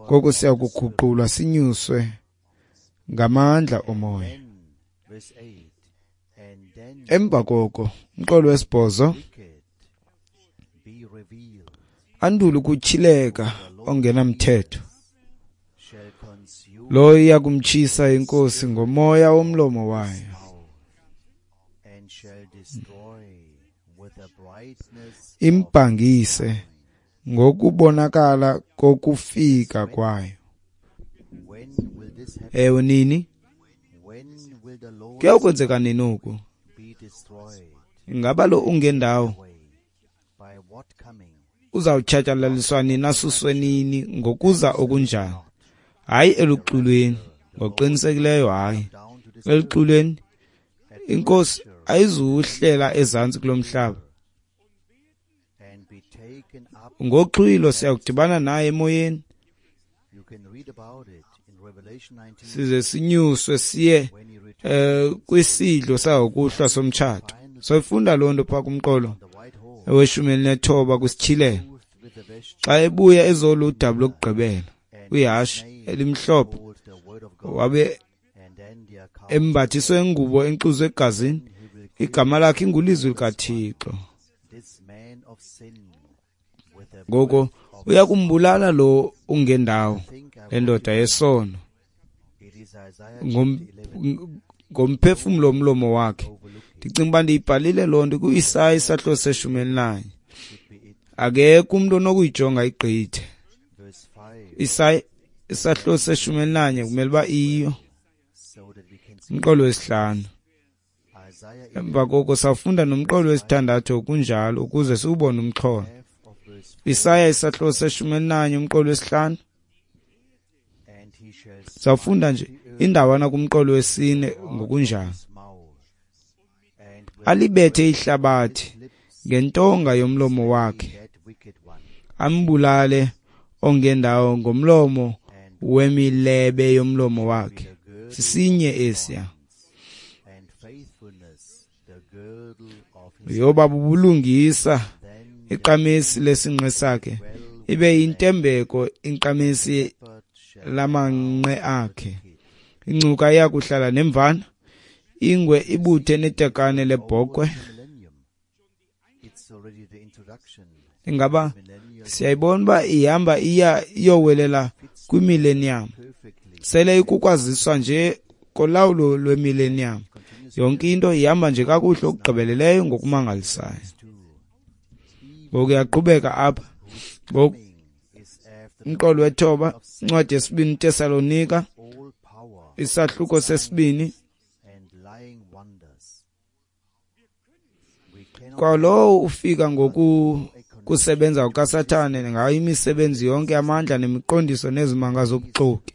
Speaker 2: Ngoko siyakuguqulwa sinyuswe ngamandla omoya. Emva koko, umqolo wesibhozo, andule ukutyhileka ongenamthetho, lowo iya kumtshisa iNkosi ngomoya womlomo wayo, imbhangise ngokubonakala kokufika kwayo. Ewe, nini? Kuyakwenzeka nini oku? Ingaba lo ungendawo uzawutshatyalaliswa nini, asuswe nini, ngokuza okunjani? Hayi eluxulweni, ngokuqinisekileyo hayi eluxulweni. INkosi ayizuhlela ezantsi kulo mhlaba. Ngoxhwilo siyakudibana naye emoyeni, size sinyuswe siye eh kwisidlo sangokuhlwa somtshato. Soyifunda loo nto phaa kumqolo weshumi elinethoba kwisityhilelo, xa ebuya ezoludabi lokugqibela kwihashe elimhlophe, wabe embathiswe ingubo enxuzwe egazini, igama lakhe ingulizwi likaThixo. Ngoko uya kumbulala lo ungendawo, le ndoda yesono, ngomphefumlo womlomo wakhe. Ndicinga uba ndiyibhalile loo nto kuIsaya isahluko seshumi elinanye. Akekho umntu onokuyijonga igqithe. Isaya isahluko seshumi elinanye kumele uba iyo. Umqolo wesihlanu. Emva koko sawufunda nomqolo wesithandathu kunjalo ukuze siwubone umxholo. Isaya isahluko seshumi elinanye umqolo wesihlanu. Sawufunda nje indawana kumqolo wesine ngokunjalo. Alibethe ihlabathi ngentonga yomlomo wakhe, ambulale ongendawo ngomlomo wemilebe yomlomo wakhe. Sisinye esiya. Yoba bubulungisa iqamesi lesinqe sakhe, ibe yintembeko iqamesi lamanqe akhe. Ingcuka iya kuhlala nemvana, ingwe ibuthe netakane lebhokhwe. Ingaba siyayibona uba ihamba iya iyowelela kwimillennium. Sele ikukwaziswa nje kolawulo lwemillennium. Yonke into ihamba nje kakuhle okugqibeleleyo ngokumangalisayo. Ngoku iyaqhubeka apha. Ngoku umqolo wethoba, incwadi yesibini Tesalonika, isahluko sesibini. Kwalowo ufika ngoku kusebenza kukaSathane ngayo imisebenzi yonke amandla nemiqondiso nezimanga zobuxoki.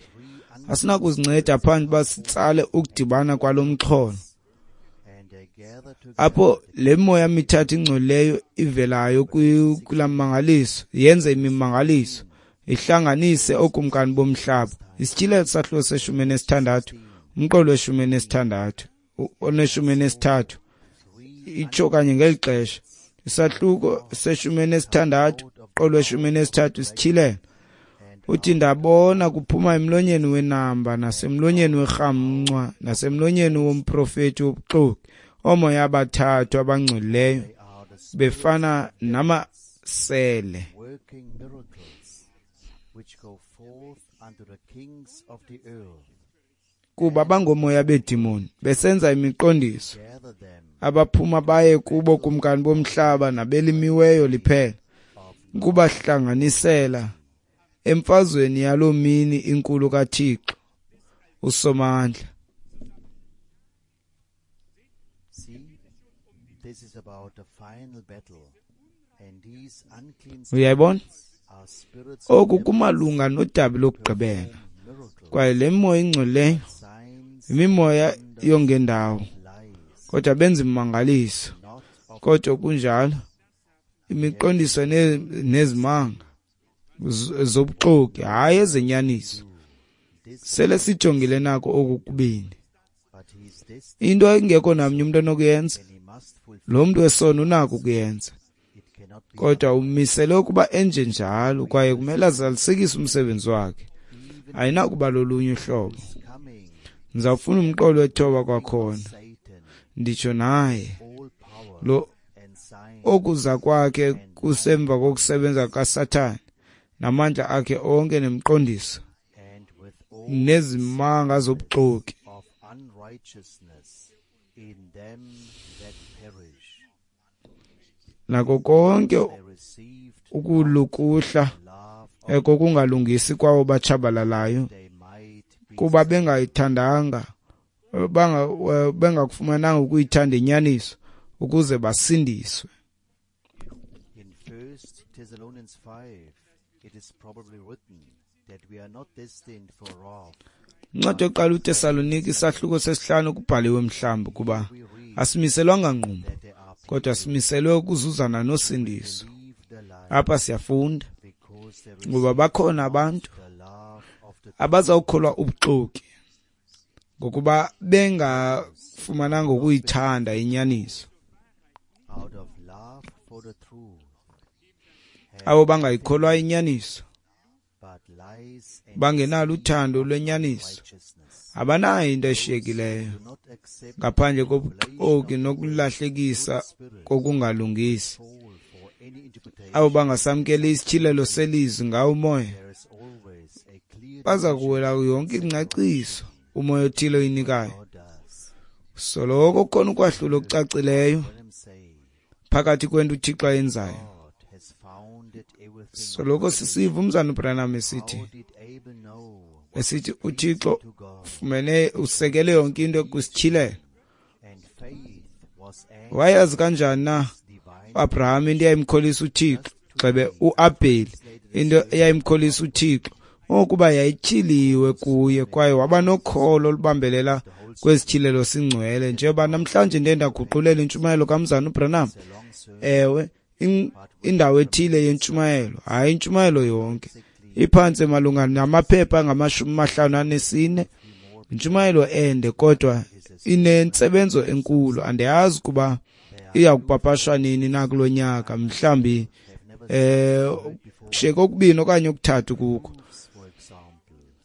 Speaker 2: Asinakuzinceda phandle uba sitsale ukudibana kwalo mxholo, apho le moya mithathu ingcolileyo ivelayo kulaa mmangaliso yenze imimangaliso, ihlanganise ookumkani bomhlaba. Isityhilelo sahluko seshumi enesithandathu, umqolo weshumi enesithandathu, oneshumi enesithathu, itsho kanye ngeli xesha. Isahluko seshumi enesithandathu, umqolo weshumi enesithathu, isityhilelo. Uthi ndabona kuphuma emlonyeni wenamba nasemlonyeni werhamncwa nasemlonyeni womprofeti wobuxoki oomoya abathathu abangcolileyo befana namasele. Kuba bangomoya beedimoni besenza imiqondiso, abaphuma baye kubo kumkani bomhlaba nabelimiweyo liphela, ukubahlanganisela emfazweni yaloo mini inkulu kaThixo uSomandla. Uyayibona? Oku kumalunga nodabi lokugqibela, kwaye le mimoya ingcolileyo yimimoya yongendawo, kodwa benza imimangaliso, kodwa kunjalo imiqondiso nezimanga zobuxoki, hayi ezenyaniso. Sele sijongile nako oku kubini. Into engekho namnye umntu onokuyenza, lo mntu wesono unako ukuyenza, kodwa umisele ukuba enje njalo, kwaye kumele azalisekise umsebenzi wakhe. Ayinakuba lolunye uhlobo. Ndizawufuna umqolo wethoba kwakhona, nditsho naye lo okuza kwakhe kusemva kokusebenza kaSathane namandla akhe onke nemiqondiso nezimanga zobuxoki nako konke ukulukuhla kokungalungisi kwawo batshabalalayo, kuba bengayithandanga bengakufumananga ukuyithanda inyaniso ukuze basindiswe.
Speaker 1: In First Thessalonians five it is probably written that we are not destined for wrath.
Speaker 2: Incwadi yokuqala uTesalonike isahluko sesihlanu kubhaliwe mhlawumbi kuba asimiselwanga ngqumbo, kodwa simiselwe ukuzuzana nosindiso. Apha siyafunda ngoba bakhona abantu abazawukholwa ubuxoki ngokuba bengafumananga ukuyithanda inyaniso. Abo bangayikholwa inyaniso, bangenalo uthando lwenyaniso, abanayo into eshiyekileyo ngaphandle kobuxoki nokulahlekisa kokungalungisi. Abo bangasamkeli isityhilelo selizwi ngawo umoya baza kuwela yonke ingcaciso umoya othile oyinikayo. Soloko kukhona ukwahlula okucacileyo phakathi kwento uThixo ayenzayo. Soloko sisiva umzana uBranham esithi esithi uThixo ufumene usekele yonke into kwisityhilelo. Wayazi kanjani na uAbraham into eyayimkholisa uThixo, gxebe uAbheli into eyayimkholisa uThixo, ukuba yayityhiliwe kuye kwaye waba nokholo olubambelela kwesityhilelo singcwele. Njengoba namhlanje ndiye ndaguqulela intshumayelo kamzana uBranham, ewe, indawo ethile yentshumayelo, hayi intshumayelo yonke, iphantse malunga namaphepha angamashumi amahlanu anesine, intshumayelo ende kodwa inentsebenzo enkulu. Andiyazi kuba iya kupapashwa nini na kulo nyaka, mhlawumbi eh kushiyeke okubini okanye okuthathu kukho.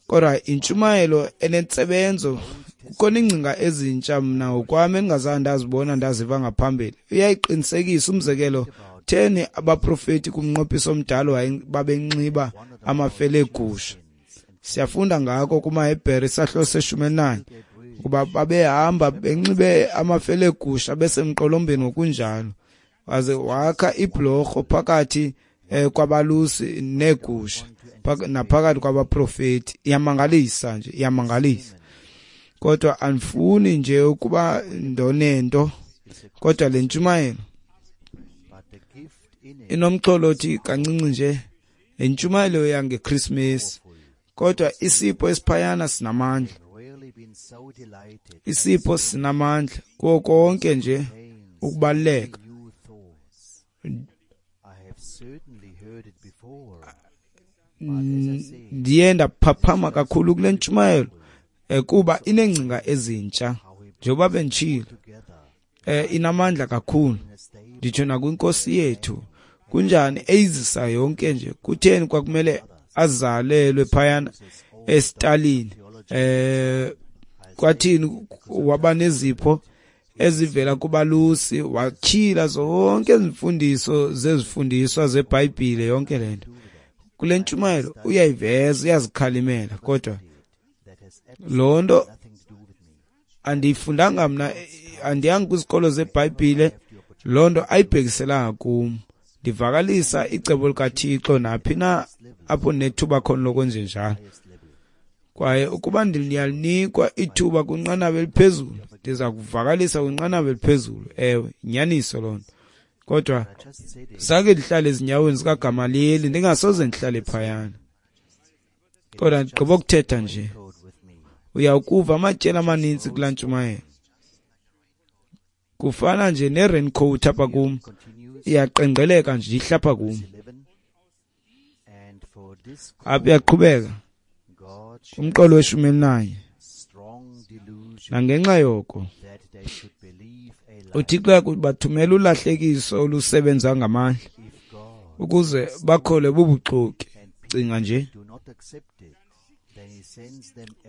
Speaker 2: Kodwa intshumayelo enentsebenzo, kukhona iingcinga ezintsha mna ngokwam endingazange ndazibona ndaziva ngaphambili. Iyayiqinisekisa. Umzekelo, theni abaprofeti kumnqophiso omdala babenxiba amafele egusha? Siyafunda ngako kumaHebhere isahluko seshumi elinanye ukuba babehamba benxibe amafele egusha besemqolombeni ngokunjalo. Waze wakha ibhlorho phakathi eh, kwabalusi neegusha naphakathi kwabaprofeti. Iyamangalisa nje, iyamangalisa. Kodwa andifuni nje ukuba ndonento, kodwa le ntshumayelo inomxholo othi kancinci nje, le ntshumayelo yangeKrismesi, kodwa isipho esiphayana sinamandla. Isipho sinamandla kuwo konke nje ukubaluleka. Ndiye ndaphaphama kakhulu kule ntshumayelo kuba ineengcinga ezintsha, njengoba benditshilo, eh inamandla kakhulu, nditsho nakwinkosi yethu. Kunjani eyizisa yonke nje? Kutheni kwakumele azalelwe phayana esitalini? Eh kwathini waba nezipho ezivela kubalusi, watyhila zonke izimfundiso zezifundiswa zeBhayibhile, yonke le nto. Kule ntshumayelo uyayiveza, uyazikhalimela, kodwa loo nto andiyifundanga mna, andiyanga kwizikolo zeBhayibhile, loo nto ayibhekiselanga kum. Ndivakalisa icebo likaThixo naphi na apho nethuba khona lokwenze njalo. Kwaye ukuba ndiyalinikwa ithuba kwinqanaba eliphezulu, ndiza kuvakalisa kwinqanaba eliphezulu. Ewe, inyaniso loo nto. Kodwa zange ndihlale ezinyaweni zikaGamaliyeli, ndingasoze ndihlale phayana. Kodwa ndigqiba ukuthetha nje, uyawukuva amatyeli amaninzi kulaa ntshumayelo. Kufana nje ne-raincoat apha kum, iyaqengqeleka nje ihle apha kum. Apha iyaqhubeka umqolo weshumi elinanye. Nangenxa yoko uThixo uyakubathumela ulahlekiso olusebenza ngamandla ukuze bakholwe bubuxoki. Cinga nje,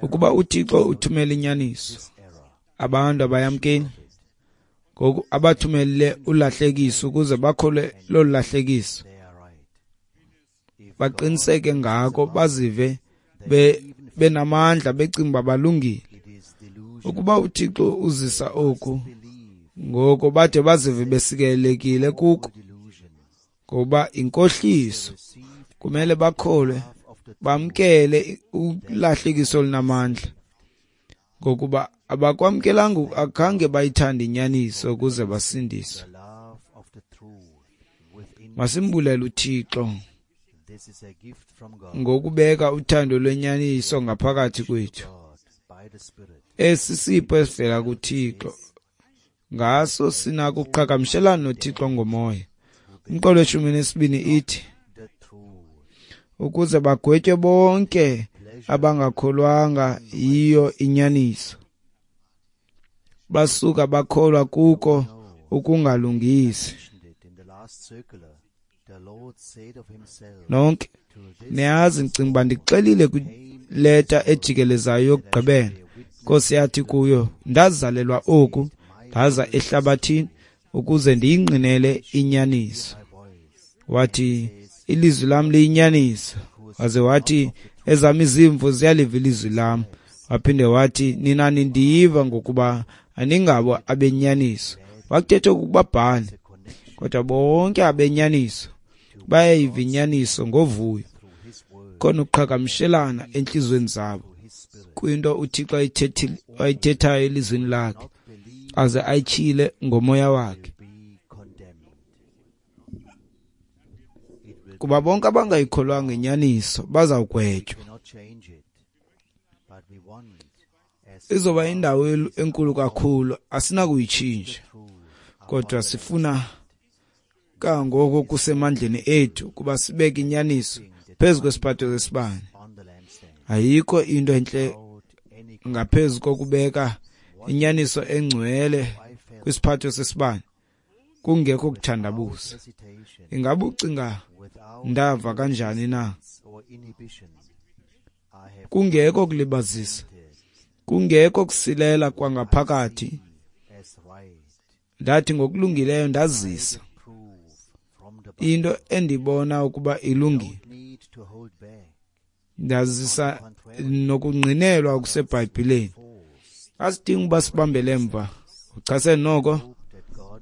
Speaker 2: Ukuba uThixo uthumela inyaniso, abantu abayamkeli. Ngoku abathumelele ulahlekiso ukuze bakholwe lolu lahlekiso, baqiniseke ngako, bazive benamandla, becinga uba balungile. Ukuba uThixo uzisa oku, ngoko bade bazive besikelelekile kuko, ngoba inkohliso. Kumele bakholwe, bamkele ulahlekiso olunamandla, ngokuba abakwamkelanga, akhange bayithande inyaniso ukuze basindiswe. Masimbulele uThixo ngokubeka uthando lwenyaniso ngaphakathi kwethu. Esi sipho esivela kuThixo, ngaso sinako ukuqhagamshelana noThixo ngomoya. Umqolo weshumi nesibini ithi, ukuze bagwetywe bonke abangakholwanga yiyo inyaniso, basuka bakholwa kuko ukungalungisi. Nonke niyazi, ndicinga uba ndixelile kwileta ejikelezayo yokugqibela. Inkosi yathi kuyo, ndazalelwa oku, ndaza ehlabathini ukuze ndiyingqinele inyaniso. Wathi, ilizwi lam liyinyaniso. Waze wathi, ezam izimvu ziyaliva ilizwi lam. Waphinde wathi, nina nindiyiva ngokuba aningabo abenyaniso. Wakuthetha ukubabhali, kodwa bonke abenyaniso bayayiva inyaniso ngovuyo. Khona uqhagamshelana entliziyweni zabo kwinto uThixo ayithethayo elizwini lakhe, aze ayityhile ngomoya wakhe. Kuba bonke abangayikholwanga inyaniso bazawugwetywa. Izoba indawo enkulu kakhulu, asinakuyitshintsha, kodwa sifuna kangoko kusemandleni ethu ukuba sibeke inyaniso phezu kwesiphatho sesibane. Ayikho into entle ngaphezu kokubeka inyaniso engcwele kwisiphatho sesibane kungekho kuthandabuza. Ingaba ucinga ndava kanjani na? Kungekho kulibazisa, kungekho kusilela kwangaphakathi, ndathi ngokulungileyo ndazisa into endibona ukuba ilungile, ndazisa nokungqinelwa okuseBhayibhileni. Asidingi uba sibambele emva. Uchasene noko,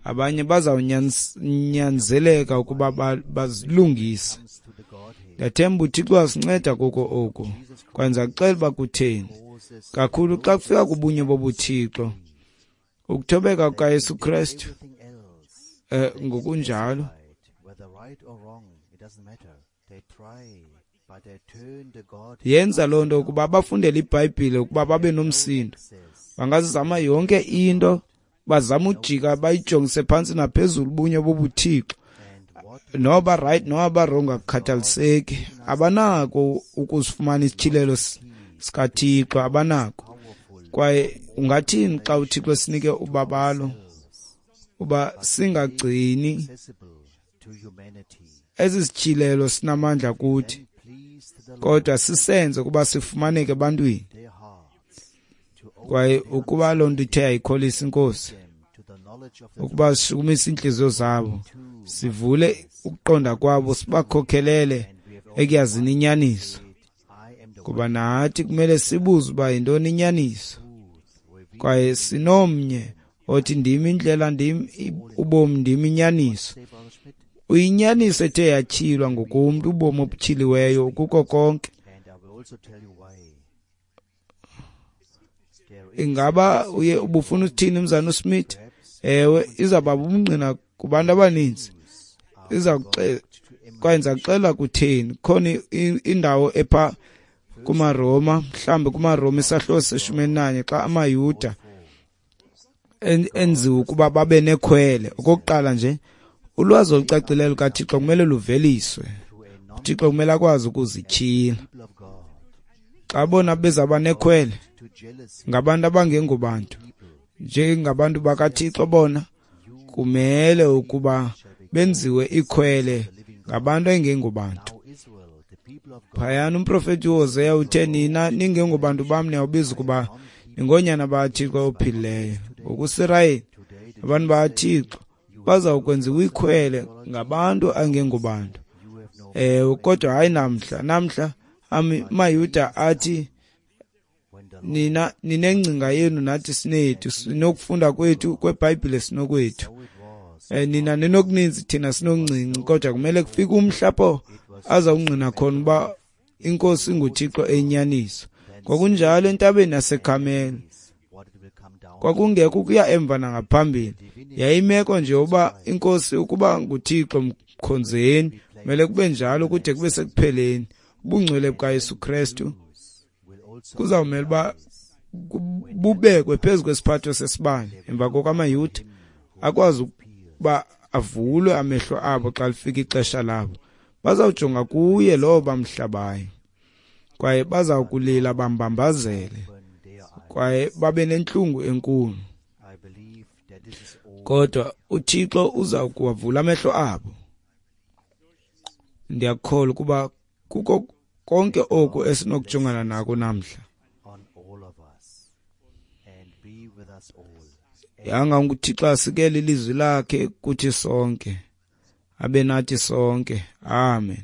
Speaker 2: abanye bazawunyanzeleka ukuba bazilungise. Ndiyathemba uThixo wasinceda kuko oku, kwenza kuxela uba kutheni kakhulu xa kufika kubunye bobuThixo, ukuthobeka kukaYesu Kristu eh ngokunjalo. Yenza loo nto ukuba bafundele iBhayibhile ukuba babe nomsindo. Bangazama yonke into, bazama ujika bayijongise phantsi naphezulu ubunye bobuThixo. Noba right noba wrong akukhathaliseki, abanako ukuzifumana isityhilelo sikaThixo, abanako. Kwaye ungathini xa uThixo esinike ubabalo uba singagcini esi sityhilelo sinamandla kuthi, kodwa sisenze ukuba sifumaneke ebantwini. Kwaye ukuba loo nto ithe yayikholisa iNkosi, ukuba sishukumise iintliziyo zabo, sivule ukuqonda kwabo, sibakhokhelele ekuyazini inyaniso. Kuba nathi kumele sibuze uba yintoni inyaniso. Kwaye sinomnye othi ndim indlela, ndim ubomi, ndim inyaniso. Uyinyaniso ethe yatyhilwa ngokomntu, ubomi obutyhiliweyo kuko konke. Ingaba uye ubufuna uthini mzana uSmith? Ewe, izawuba bubungqina kubantu abaninzi. Iza kuxela, kwaye ndiza kuxela kutheni. Khona indawo epha kumaRoma, mhlawumbi kumaRoma isahluko seshumi elinanye, xa amaYuda enziwe ukuba babe nekhwele. Okokuqala nje, ulwazi olucacileyo lukaThixo kumele luveliswe. uThixo kumele akwazi ukuzityhila. Xa bona bezaba nekhwele ngabantu abangengobantu, njengabantu bakaThixo, bona kumele ukuba benziwe ikhwele ngabantu engengobantu. Phayana umprofeti uHoseya uthe, nina ningengobantu bam niyawubiza ukuba ningoonyana bakaThixo ophilileyo. NgokuSirayeli, abantu bakaThixo bazawukwenziwa ikhwele ngabantu angengobantu. Ewe, kodwa hayi namhla. Namhla amaYuda athi, nina ninengcinga yenu nathi sinethu, sinokufunda kwethu kweBhayibhile sinokwethu. Eh, nina ninokuninzi thina sinokuncinci, kodwa kumele kufike umhla apho azawungqina khona uba iNkosi inguThixo eyinyaniso. Ngokunjalo entabeni yaseKarmele kwakungekho ukuya emva nangaphambili, yayimeko nje uba iNkosi ukuba nguThixo mkhonzeni, kumele kube njalo kude kube sekupheleni. Ubungcwele bukaYesu Kristu kuzawumela uba bubekwe phezu kwesiphatho sesibane. Emva koko amaYuda akwazi ukuba avulwe amehlo abo xa lifika ixesha labo. Bazawujonga kuye lowo bamhlabayo, kwaye bazawukulila bambambazele, kwaye babe nentlungu enkulu. Kodwa uThixo uza kuwavula amehlo abo. Ndiyakholwa ukuba kuko konke oku esinokujongana nako namhla. Yanga uThixo asikele ilizwi lakhe kuthi sonke, abe nathi sonke. Amen.